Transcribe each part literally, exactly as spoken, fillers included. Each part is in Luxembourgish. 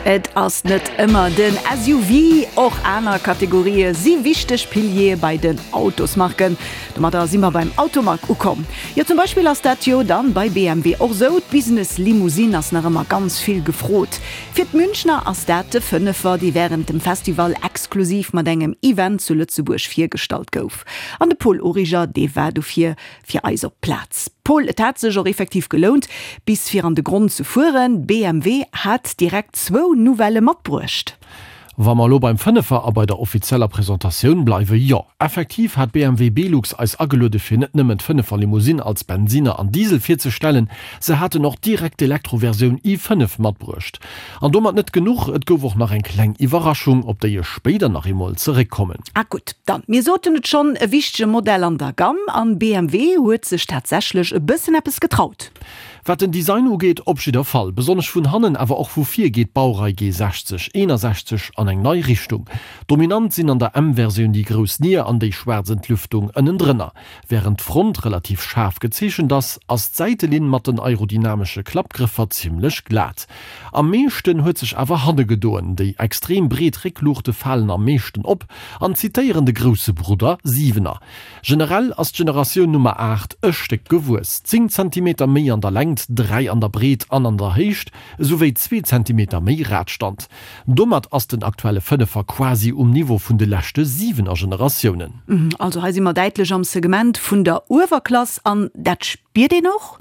Et ass net ëmmer den S U V, och aner Kategorië si wichteg Piliere bei den Autosmarken. Domadder si mer beim Automag ukomm. Jo, zum Beispill ass dat jo dann bei B M W och sou, d'Business Limousine ass nach ëmmer ganz vill gefrot. Fir d'Münchner ass dat de Fënnefer, dee wärend dem Festival exklusiv mat engem Event zu Lëtzebuerg virgestallt gouf. An de Paul Origer, dee war dofir fir eis op d'Plaz. Paul, et hat sech och effektiv gelount, bis fir an de Gronn ze fueren. B M W hat direkt zwou Nouvellë matbruecht. Wa mer lo beim Fënnefer a bei der offizieller Presentatioun bleiwen, jo, effektiv hat B M W Belux eis ageluede fir net nëmmen d'Fënnefer Limousine als Bensiner an Diesel virzestellen, se haten och direkt d'Elektroversioun i fënnef matbruecht. An domat net genuch, et gouf och nach eng kleng Iwwerraschung, op déi ech spéider nach eemol zeréckkommen. Ah gutt, dann mir soten et schonn, e wichtege Modell an der Gamm an B M W huet sech tatsächlech e bëssen eppes getraut. Wat den Design ugeet, op jidder Fall, besonnesch vun hannen, awer och vu vir geet d'Baurei G sechzeg eenasechzeg an eng nei Richtung. Dominant sinn an der M-Versioun déi grouss Nier an déi schwaarz Entlüftung ënnendrënner. Wärend d'Front relativ schaarf gezeechent ass, ass d'Säitelinn mat den aerodynamesche Klappgrëffer zimmlech glat. Am meeschten huet sech awer hanne gedoen, déi extrem breet Réckluuchte falen am meeschten op an zitéieren de grousse Brudder Siwener. Generell ass d'Generatioun Nummer aacht e Stéck gewuess, zéng Zentimeter méi an der Längt, dräi an der Breet an an der Héicht, esouwéi zwee Zentimeter méi Radstand. Domat ass den aktuelle Fënnefer quasi um Niveau vun de leschte Siwener Generatiounen. Also hei si mer däitlech am Segment vun der Uewerklass an dat spiert een och?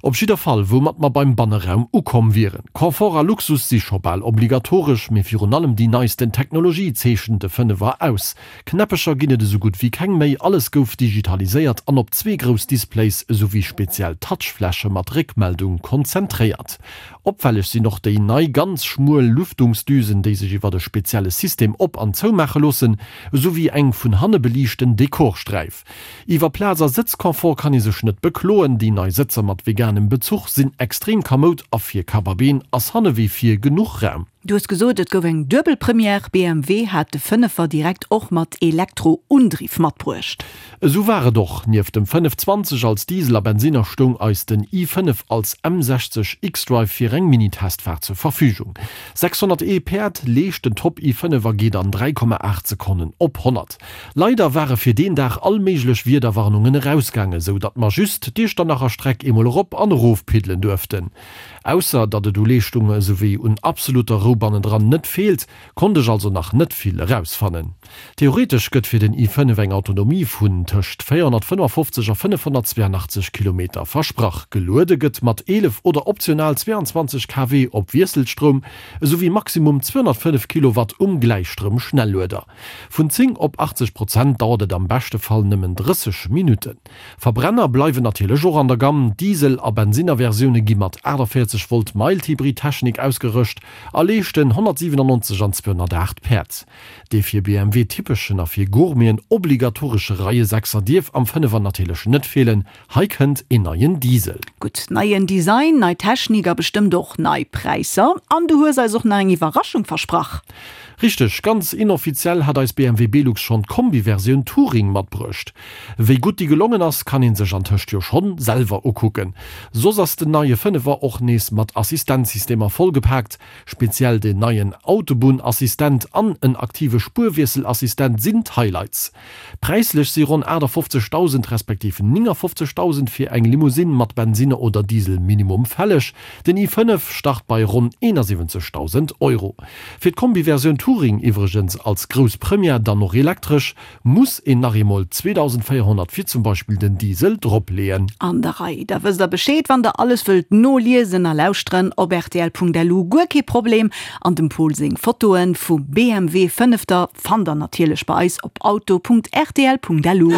Op jidder Fall, woumat mer beim Banneraum ukomm wieren. Confort a Luxus si scho bal obligatoresch, mee virun allem déi neisten Technologie zeechent de Fënnefer aus. Knäppecher ginn et esou gutt wéi keng méi, alles gouf digitaliséiert an op zwee grouss Displays esouwéi speziell Touchfläche mat Réckmeldung konzentréiert. Opfälleg sinn och déi nei ganz schmuel Lüftungsdüsen, déi sech iwwer e spezielle System op an zoumaache loossen, esouwéi eng vun hanne beliichten Dekorsträif. Iwwer Plaz a Sëtzconfort kann ee sech net bekloen, déi nei Sëtzer mat veganem Bezuch sinn extrem kamoud a fir Kapp a Been ass hanne wéi vir genuch Raum. Du hues gesot, et gouf eng duebel Première. B M W hat de Fënnefer direkt och mat Elektroundriff matbruecht. Esou war et och, nieft dem fënnefzwanzeg als Diesel a Bensinner stoung eis den i fënnef als M sechzeg xDrive fir eng Mini-Testfaart zur Verfügung. sechshonnerteent Päerd leescht den Top i fënnef a geet an dräi Komma aacht Sekonnen op honnert. Leider ware fir deen Dag all méiglech Wiederwarnungen erausgaangen, sou datt mer just d'Iechternacher Streck eemol erop an erof piddelen duerften. Ausser datt et u Leeschtung esouwéi un absolutter Rou bannendran net feelt, konnt ech also nach net vill erausfannen. Theoretesch gëtt fir den i fënnef eng Autonomie vun tëscht véierhonnertfënnefofzeg a fënnefhonnertzweeanachtzeg Kilometer versprach. Geluede gëtt mat eelef oder optional zweeanzwanzeg K W op Wiesselstroum esouwéi maximum zweehonnertfënnef Kilowatt um Gläichstroum-Schnellueder. Vun zéng op achtzeg Prozent dauert et am beschte Fall nëmmen drësseg Minutten. Verbrenner bleiwen natierlech och an der Gamm, Diesel a Bensinnerversioune gi mat aachtavéierzeg Volt Mild-Hybrid-Technik ausgerëscht a leeschten honnertsiwenannonzeg an zweehonnertaacht Päerd. Dee fir B M W typeschen a fir Gourmeten obligatoresche Reiesechser dierf am Fënnefer natierlech net feelen, hei kënnt een neien Diesel. Gutt, neien Design, nei Technik a bestëmmt och nei Präisser. An du hues eis och nach eng Iwwerraschung versprach. Richteg, ganz inoffiziell hat eis B M W Belux schonn d'Kombi-Versioun Touring matbruecht. Wéi gutt déi gelongen ass, kann ee sech antëscht jo schonn selwer ukucken. Soss ass den neie Fënnefer och nees mat Assistenzsystemer vollgepaakt, speziell den neien Autobunnassistent an en aktive Spuerwiesselassistent sinn d'Highlights. Präislech si ronn aachtafofzegdausend respektiv néngafofzegdausend fir eng Limousine mat Bensinner oder Diesel minimum fälleg, den i fënnef start bei ronn eenasiwwenzegdausend Euro. Fir d'Kombi-Versioun Touring, iwwregens als grouss Première dann och elektresch, muss een nach eemol zweedausendvéierhonnert fir zum Beispill den Diesel dropleeën. An der Rei, da wësst der Bescheed, wann der alles wëllt noliesen a lauschteren op R T L Punkt L U, guer kee Problem. An dem Paul seng Fotoen vum B M W Fënnefter fannt der natierlech bei eis op auto Punkt R T L Punkt L U.